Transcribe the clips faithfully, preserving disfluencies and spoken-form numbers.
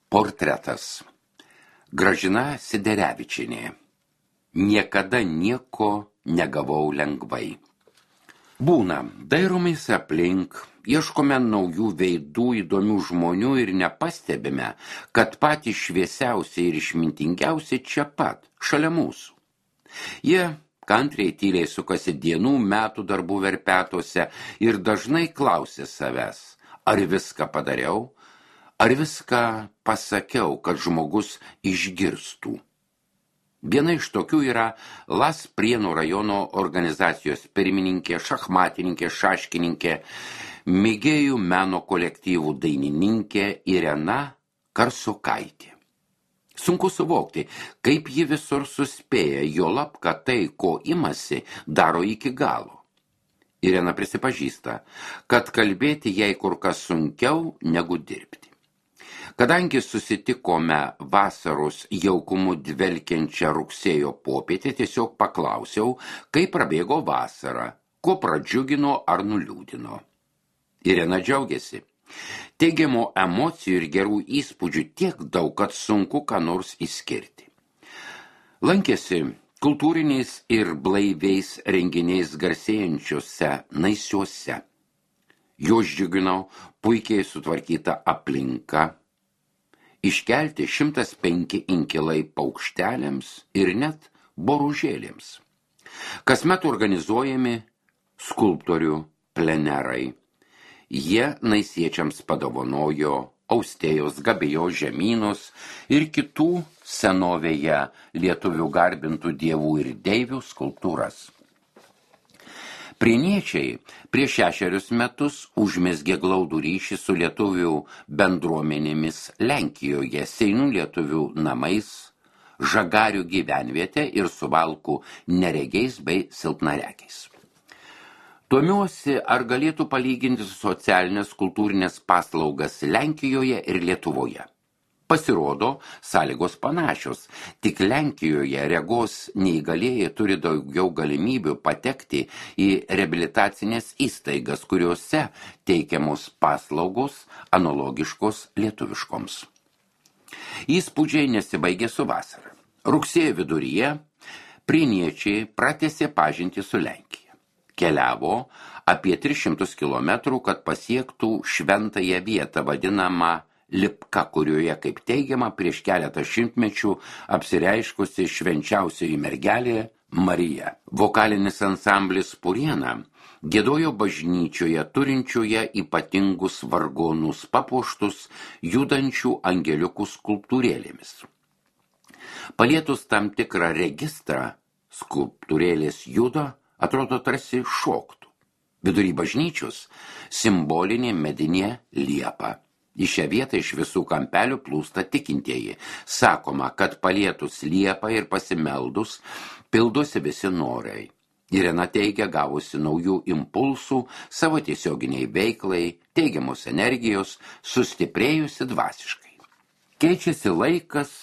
Portretas. Gražina Siderevičienė. Niekada nieko negavau lengvai. Būna, dairomės aplink, ieškome naujų veidų, įdomių žmonių ir nepastebime, kad patys šviesiausi ir išmintingiausi čia pat, šalia mūsų. Jie kantriai tyliai sukasi dienų, metų darbų verpetuose ir dažnai klausia savęs, ar viską padariau, ar viską pasakiau, kad žmogus išgirstų. Viena iš tokių yra Las Prienų rajono organizacijos pirmininkė, šachmatininkė, šaškininkė, mėgėjų meno kolektyvų dainininkė Irena Karsokaitė. Sunku suvokti, kaip ji visur suspėja, juolab, kad tai, ko imasi, daro iki galo. Irena prisipažįsta, kad kalbėti jai kur kas sunkiau negu dirbti. Kadangi susitikome vasaros jaukumu dvelkiančią rugsėjo popietę, tiesiog paklausiau, kaip prabėgo vasara, ko pradžiugino ar nuliūdino. Irena džiaugiasi. Teigiamų emocijų ir gerų įspūdžių tiek daug, kad sunku ką nors išskirti. Lankėsi kultūriniais ir blaiviais renginiais garsėjančiuose Naisiuose. Jos džiugino puikiai sutvarkyta aplinka, iškelti šimtas penki inkilai paukšteliams ir net boružėlėms. Kasmet organizuojami skulptorių plenerai. Jie naisiečiams padovanojo Austėjos Gabijos žemynus ir kitų senovėje lietuvių garbintų dievų ir deivių skulptūras. Prieniečiai prieš šešerius metus užmezgė glaudų ryšį su lietuvių bendruomenėmis Lenkijoje, Seinų lietuvių namais, Žagarių gyvenvietę ir Suvalkų neregiais bei silpnaregiais. Domiuosi, ar galėtų palyginti socialinės kultūrinės paslaugas Lenkijoje ir Lietuvoje. Pasirodo, sąlygos panašios, tik Lenkijoje regos neįgalieji turi daugiau galimybių patekti į reabilitacinės įstaigas, kuriuose teikiamos paslaugos analogiškos lietuviškoms. Įspūdžiai nesibaigė su vasara. Rugsėjo viduryje prieniečiai pratęsė pažintį su Lenkija. Keliavo apie tris šimtus kilometrų, kad pasiektų šventąją vietą vadinamą Lipka, kurioje, kaip teigiama, prieš keletą šimtmečių apsireiškusi švenčiausioji mergelė Marija. Vokalinis ansamblis Puriena giedojo bažnyčioje turinčioje ypatingus vargonus papuoštus judančių angeliukų skulptūrėlėmis. Palietus tam tikrą registrą, skulptūrėlės juda, atrodo tarsi šoktų. Vidury bažnyčios simbolinė medinė liepa. Į šią vietą iš visų kampelių plūsta tikintieji. Sakoma, kad palietus liepą ir pasimeldus pildosi visi norai. Irena teigia gavusi naujų impulsų savo tiesioginiai veiklai, teigiamos energijos, sustiprėjusi dvasiškai. Keičiasi laikas,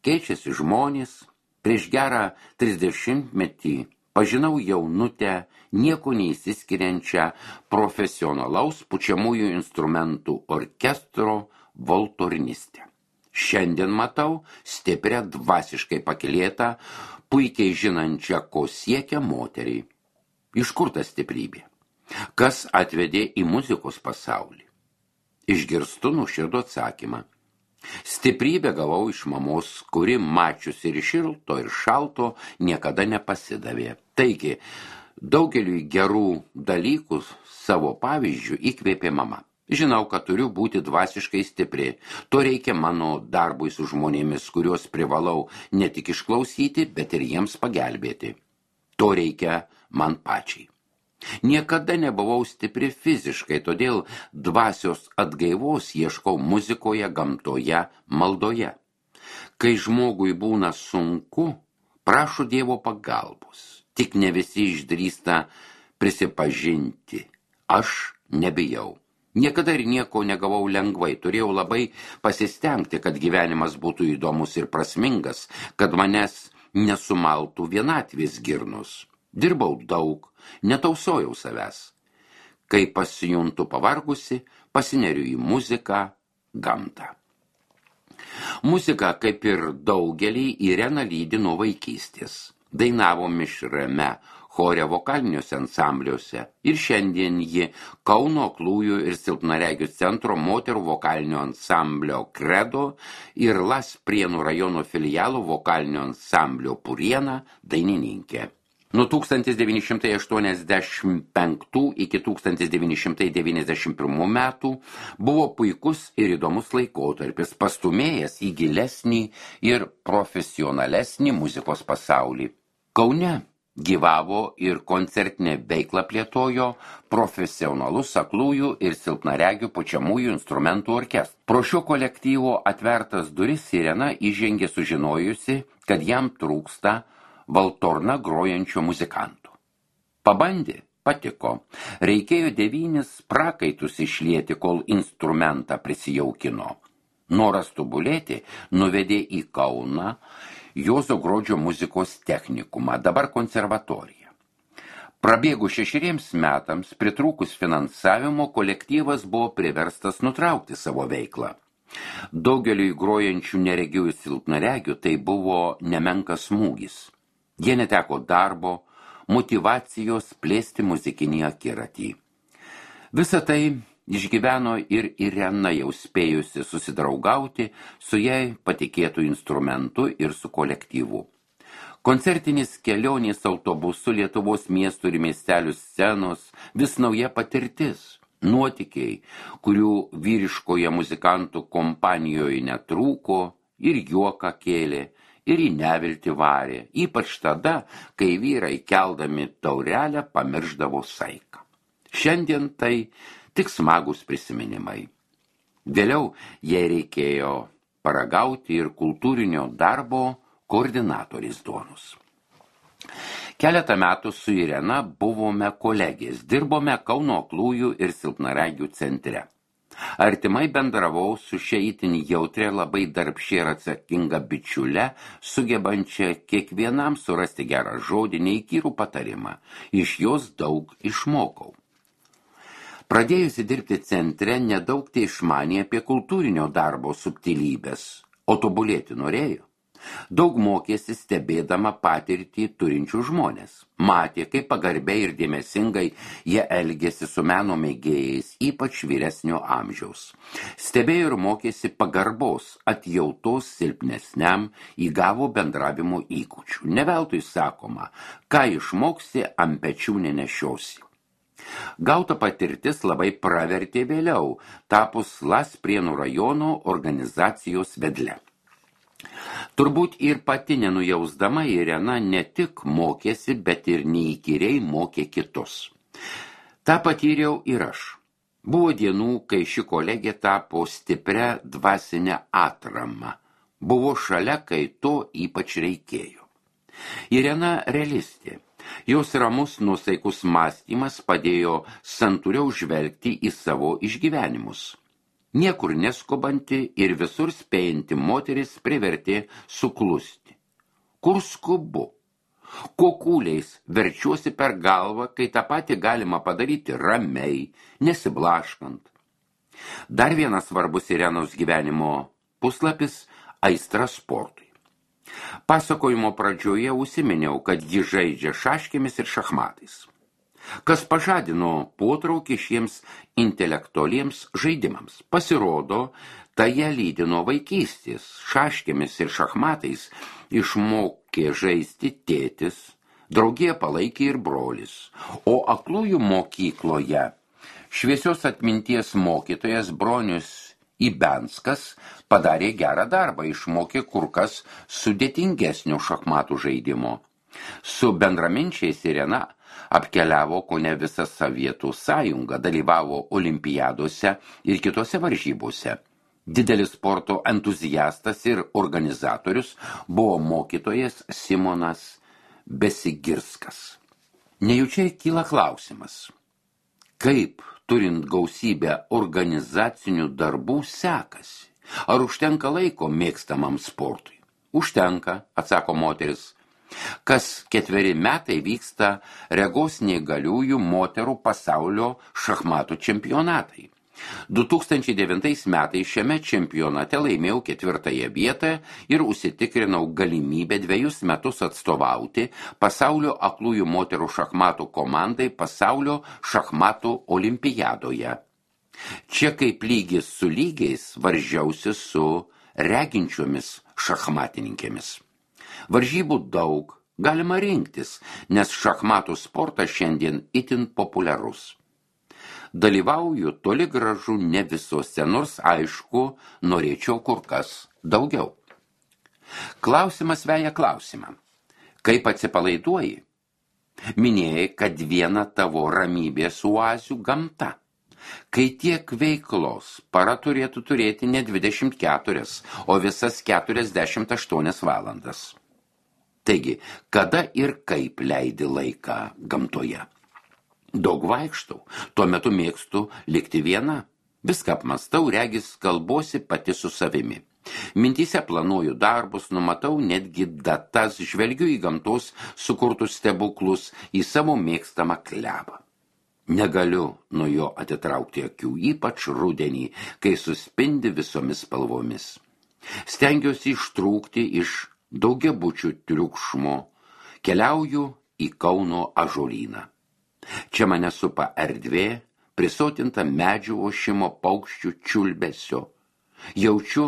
keičiasi žmonės. Prieš gerą trisdešimtmetį pažinau jaunutę, nieko neįsiskiriančią profesionalaus pučiamųjų instrumentų orkestro valtornistę. Šiandien matau stiprią dvasiškai pakylėtą, puikiai žinančią, ko siekia moteriai. Iš kur ta stiprybė? Kas atvedė į muzikos pasaulį? Išgirstu nuoširdų atsakymą. Stiprybę gavau iš mamos, kuri mačiusi ir šilto, ir šalto niekada nepasidavė. Taigi, daugeliui gerų dalykų savo pavyzdžių įkvėpė mama. Žinau, kad turiu būti dvasiškai stipri. To reikia mano darbui su žmonėmis, kuriuos privalau ne tik išklausyti, bet ir jiems pagelbėti. To reikia man pačiai. Niekada nebuvau stipri fiziškai, todėl dvasios atgaivos ieškau muzikoje, gamtoje, maldoje. Kai žmogui būna sunku, prašo Dievo pagalbos. Tik ne visi išdrįsta prisipažinti. Aš nebijau. Niekada ir nieko negavau lengvai. Turėjau labai pasistengti, kad gyvenimas būtų įdomus ir prasmingas, kad manęs nesumaltų vienatvės girnus. Dirbau daug, netausojau savęs. Kai pasijuntu pavargusi, pasineriu į muziką, gamtą. Muzika, kaip ir daugelį, Ireną lydi nuo vaikystės. Dainavo mišriame chore vokaliniuose ansambliuose ir šiandien ji Kauno aklųjų ir silpnaregių centro moterų vokalinio ansamblio Kredo ir Las Prienų rajono filialo vokalinio ansamblio Puriena dainininkė. Nuo tūkstantis devyni šimtai aštuoniasdešimt penktų iki tūkstantis devyni šimtai devyniasdešimt pirmų metų buvo puikus ir įdomus laikotarpis, pastūmėjęs į gilesnį ir profesionalesnį muzikos pasaulį. Kaune gyvavo ir koncertinę veiklą plėtojo profesionalus aklųjų ir silpnaregių pučiamųjų instrumentų orkestras. Pro šio kolektyvo atvertas duris Irena įžengė sužinojusi, kad jam trūksta valtorna grojančio muzikantų. Pabandė, patiko. Reikėjo devynis prakaitus išlieti, kol instrumentą prisijaukino. Noras tobulėti nuvedė į Kauną Juozo Grodžio muzikos technikumą, dabar konservatoriją. Prabėgus šešeriems metams, pritrūkus finansavimo, kolektyvas buvo priverstas nutraukti savo veiklą. Daugeliui grojančių neregių ir silpnaregių tai buvo nemenkas smūgis. Jie neteko darbo, motyvacijos plėsti muzikinį akiratį. Visą tai išgyveno ir Irena, jau spėjusi susidraugauti su jai patikėtų instrumentu ir su kolektyvu. Koncertinis kelionės autobusu Lietuvos miestų ir miestelių scenos vis nauja patirtis, nuotykiai, kurių vyriškoje muzikantų kompanijoje netrūko ir juoką kėlė, ir į neviltį varė, ypač tada, kai vyrai keldami taurelę pamiršdavo saiką. Šiandien tai tik smagus prisiminimai. Vėliau jai reikėjo paragauti ir kultūrinio darbo koordinatorės duonos. Keletą metų su Irena buvome kolegės, dirbome Kauno aklųjų ir silpnaregių centre. Artimai bendravau su šia itin jautrė, labai darbščia ir atsakinga bičiule, sugebančia kiekvienam surasti gerą žodį, neįkyrų patarimą. Iš jos daug išmokau. Pradėjusi dirbti centre, nedaug tai išmanė apie kultūrinio darbo subtilybės, o tobulėti norėjo. Daug mokėsi stebėdama patirtį turinčių žmonės. Matė, kaip pagarbiai ir dėmesingai jie elgėsi su meno mėgėjais, ypač vyresnio amžiaus. Stebėjo ir mokėsi pagarbos, atjautos silpnesniam, įgavo bendravimo įgūdžių. Ne veltui sakoma, ką išmoksi, ant pečių nenešiosi. Gauta patirtis labai pravertė vėliau, tapus Las Prienų rajono organizacijos vedle. Turbūt ir pati nenujausdama Irena ne tik mokėsi, bet ir neįkyriai mokė kitus. Ta patyriau ir aš. Buvo dienų, kai ši kolegė tapo stiprią dvasinę atramą. Buvo šalia, kai to ypač reikėjo. Irena realistė. Jos ramus nuosaikus mąstymas padėjo santūriau žvelgti į savo išgyvenimus. Niekur neskubanti ir visur spėjanti moteris privertė suklusti. Kur skubu? Kokūliais verčiuosi per galvą, kai tą patį galima padaryti ramiai, nesiblaškant. Dar vienas svarbus Irenos gyvenimo puslapis – aistra sportui. Pasakojimo pradžioje užsiminiau, kad ji žaidžia šaškėmis ir šachmatais. Kas pažadino potraukį šiems intelektualiems žaidimams. Pasirodo, tai ją lydi nuo vaikystės. Šaškėmis ir šachmatais išmokė žaisti tėtis, draugiją palaikė ir brolis. O aklųjų mokykloje šviesios atminties mokytojas Bronius Ibenskas padarė gerą darbą, išmokė kur kas sudėtingesnio šachmatų žaidimo. Su bendraminčiais Irena apkeliavo kone visą Sovietų sąjungą, dalyvavo olimpiadose ir kitose varžybose. Didelis sporto entuziastas ir organizatorius buvo mokytojas Simonas Besigirskas. Nejučiai kyla klausimas, kaip turint gausybę organizacinių darbų sekasi? Ar užtenka laiko mėgstamam sportui? Užtenka, atsako moteris. Kas ketveri metai vyksta regos neįgaliųjų moterų pasaulio šachmatų čempionatai. du tūkstančiai devintais metais šiame čempionate laimėjau ketvirtąją vietą ir užsitikrinau galimybę dviejus metus atstovauti pasaulio aklųjų moterų šachmatų komandai pasaulio šachmatų olimpiadoje. Čia kaip lygis su lygiais varžiausi su reginčiomis šachmatininkėmis. Varžybų daug, galima rinktis, nes šachmatų sportas šiandien itin populiarus. Dalyvauju toli gražu ne visose, nors aišku, norėčiau kur kas daugiau. Klausimas veja klausimą. Kaip atsipalaiduoji? Minėjai, kad viena tavo ramybės oazių gamta. Kai tiek veiklos, para turėtų turėti ne dvidešimt keturias, o visas keturiasdešimt aštuonias valandas. Taigi, kada ir kaip leidi laiką gamtoje? Daug vaikštau, tuo metu mėgstu likti viena. Viską apmastau, regis kalbuosi pati su savimi. Mintyse planuoju darbus, numatau netgi datas, žvelgiu į gamtos sukurtus stebuklus, į savo mėgstamą klevą. Negaliu nuo jo atitraukti akių, ypač rudenį, kai suspindi visomis spalvomis. Stengiuosi ištrūkti iš daugiabučių triukšmo, keliauju į Kauno ąžuolyną. Čia mane supa erdvė, prisotinta medžių ošimo, paukščių čiulbesio. Jaučiu,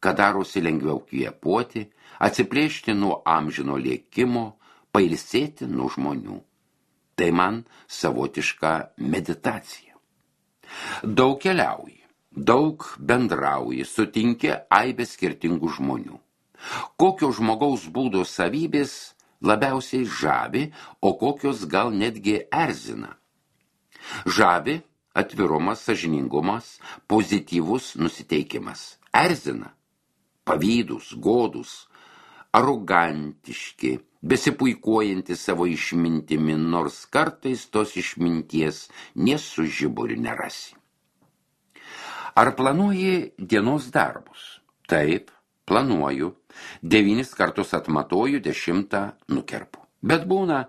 kad darosi lengviau kvėpuoti, atsiplėšti nuo amžino lėkimo, pailsėti nuo žmonių. Tai man savotiška meditacija. Daug keliauji, daug bendrauji, sutinki aibę skirtingų žmonių. Kokio žmogaus būdo savybės labiausiai žavi, o kokios gal netgi erzina. Žavi atvirumas, sąžiningumas, pozityvus nusiteikimas. Erzina pavydūs, godūs, arogantiški, besipuikuojantys savo išmintimi, nors kartais tos išminties nė su žiburiu nerasi. Ar planuoji dienos darbus? Taip, planuoju. Devynis kartus atmatoju, dešimtą nukerpu. Bet būna,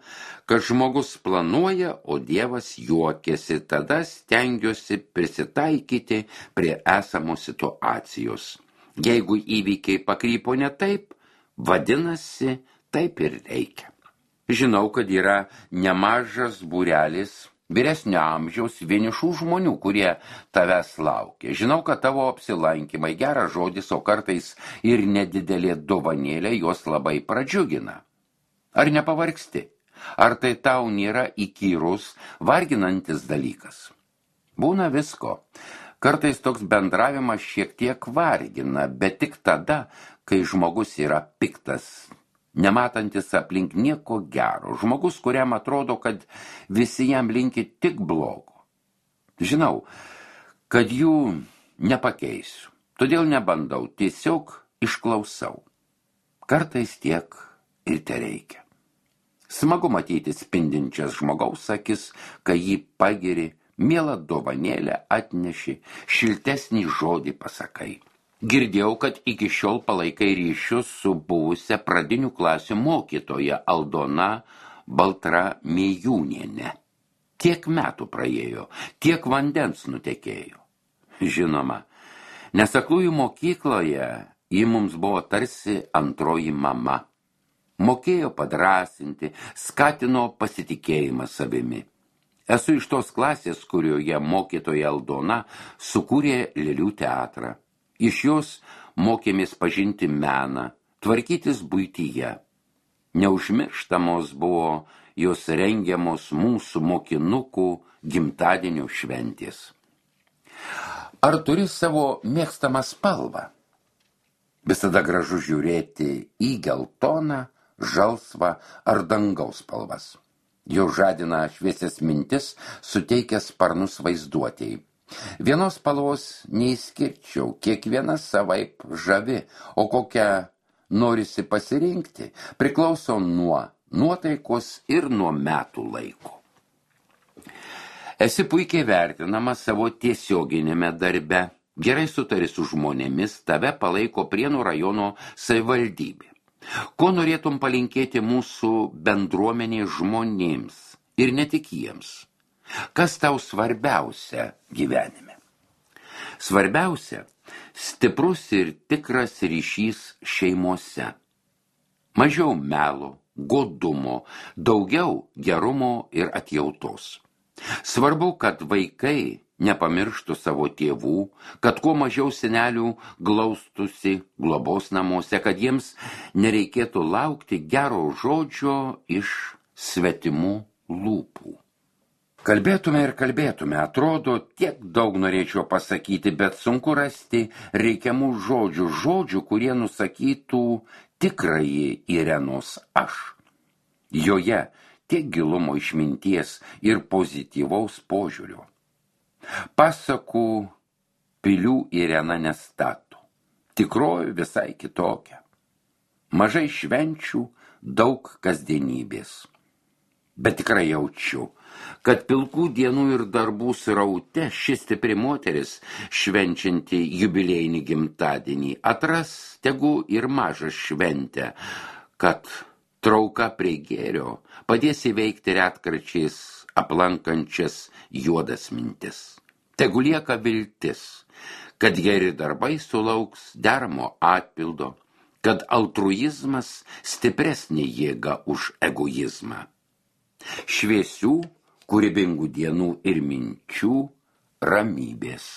kad žmogus planuoja, o Dievas juokiasi, tada stengiuosi prisitaikyti prie esamos situacijos. Jeigu įvykiai pakrypo ne taip, vadinasi, taip ir reikia. Žinau, kad yra nemažas būrelis vyresnio amžiaus vienišų žmonių, kurie tavęs laukia. Žinau, kad tavo apsilankymai, geras žodis, o kartais ir nedidelė dovanėlė juos labai pradžiugina. Ar nepavargsti? Ar tai tau nėra įkyrus, varginantis dalykas? Būna visko. Kartais toks bendravimas šiek tiek vargina, bet tik tada, kai žmogus yra piktas, nematantis aplink nieko gero, žmogus, kuriam atrodo, kad visi jam linki tik blogo. Žinau, kad jų nepakeisiu, todėl nebandau, tiesiog išklausau. Kartais tiek ir tereikia. Smagu matyti spindinčias žmogaus akis, kai jį pagiri, mielą dovanėlę atneši, šiltesnį žodį pasakai. Girdėjau, kad iki šiol palaikai ryšius su buvusia pradinių klasių mokytoja Aldona Baltramiejūnienė. Tiek metų praėjo, tiek vandens nutekėjo. Žinoma, nes aklųjų mokykloje ji mums buvo tarsi antroji mama. Mokėjo padrasinti, skatino pasitikėjimą savimi. Esu iš tos klasės, kurioje mokytoja Aldona sukūrė Lėlių teatrą. Iš jos mokėmės pažinti meną, tvarkytis buityje. Neužmirštamos buvo jos rengiamos mūsų mokinukų gimtadienio šventės. Ar turi savo mėgstamą spalvą? Visada gražu žiūrėti į geltoną, žalsvą ar dangaus spalvas. Jo žadina šviesias mintis, suteikia sparnus vaizduotėjai. Vienos spalvos neįskirčiau, kiekviena savaip žavi, o kokią norisi pasirinkti, priklauso nuo nuotaikos ir nuo metų laiko. Esi puikiai vertinama savo tiesioginėme darbe, gerai sutari su žmonėmis, tave palaiko Prienų rajono savivaldybė. Ko norėtum palinkėti mūsų bendruomenės žmonėms ir ne tik jiems? Kas tau svarbiausia gyvenime? Svarbiausia – stiprus ir tikras ryšys šeimose. Mažiau melo, godumo, daugiau gerumo ir atjautos. Svarbu, kad vaikai nepamirštų savo tėvų, kad kuo mažiau senelių glaustusi globos namuose, kad jiems nereikėtų laukti gero žodžio iš svetimų lūpų. Kalbėtume ir kalbėtume, atrodo, tiek daug norėčiau pasakyti, bet sunku rasti reikiamų žodžių, žodžių, kurie nusakytų tikrąjį Irenos aš. Joje tiek gilumo išminties ir pozityvaus požiūrio. Pasakų pilių Irena nestato, tikroji visai kitokia. Mažai švenčių, daug kasdienybės. Bet tikrai jaučiu, kad pilkų dienų ir darbų sraute ši stipri moteris, švenčianti jubiliejinį gimtadienį, atras tegu ir mažą šventę, kad trauka prie gėrio padės įveikti retkarčiais aplankančias juodas mintis. Tegu lieka viltis, kad geri darbai sulauks deramo atpildo, kad altruizmas stipresnė jėga už egoizmą. Šviesių, kūrybingų dienų ir minčių ramybės.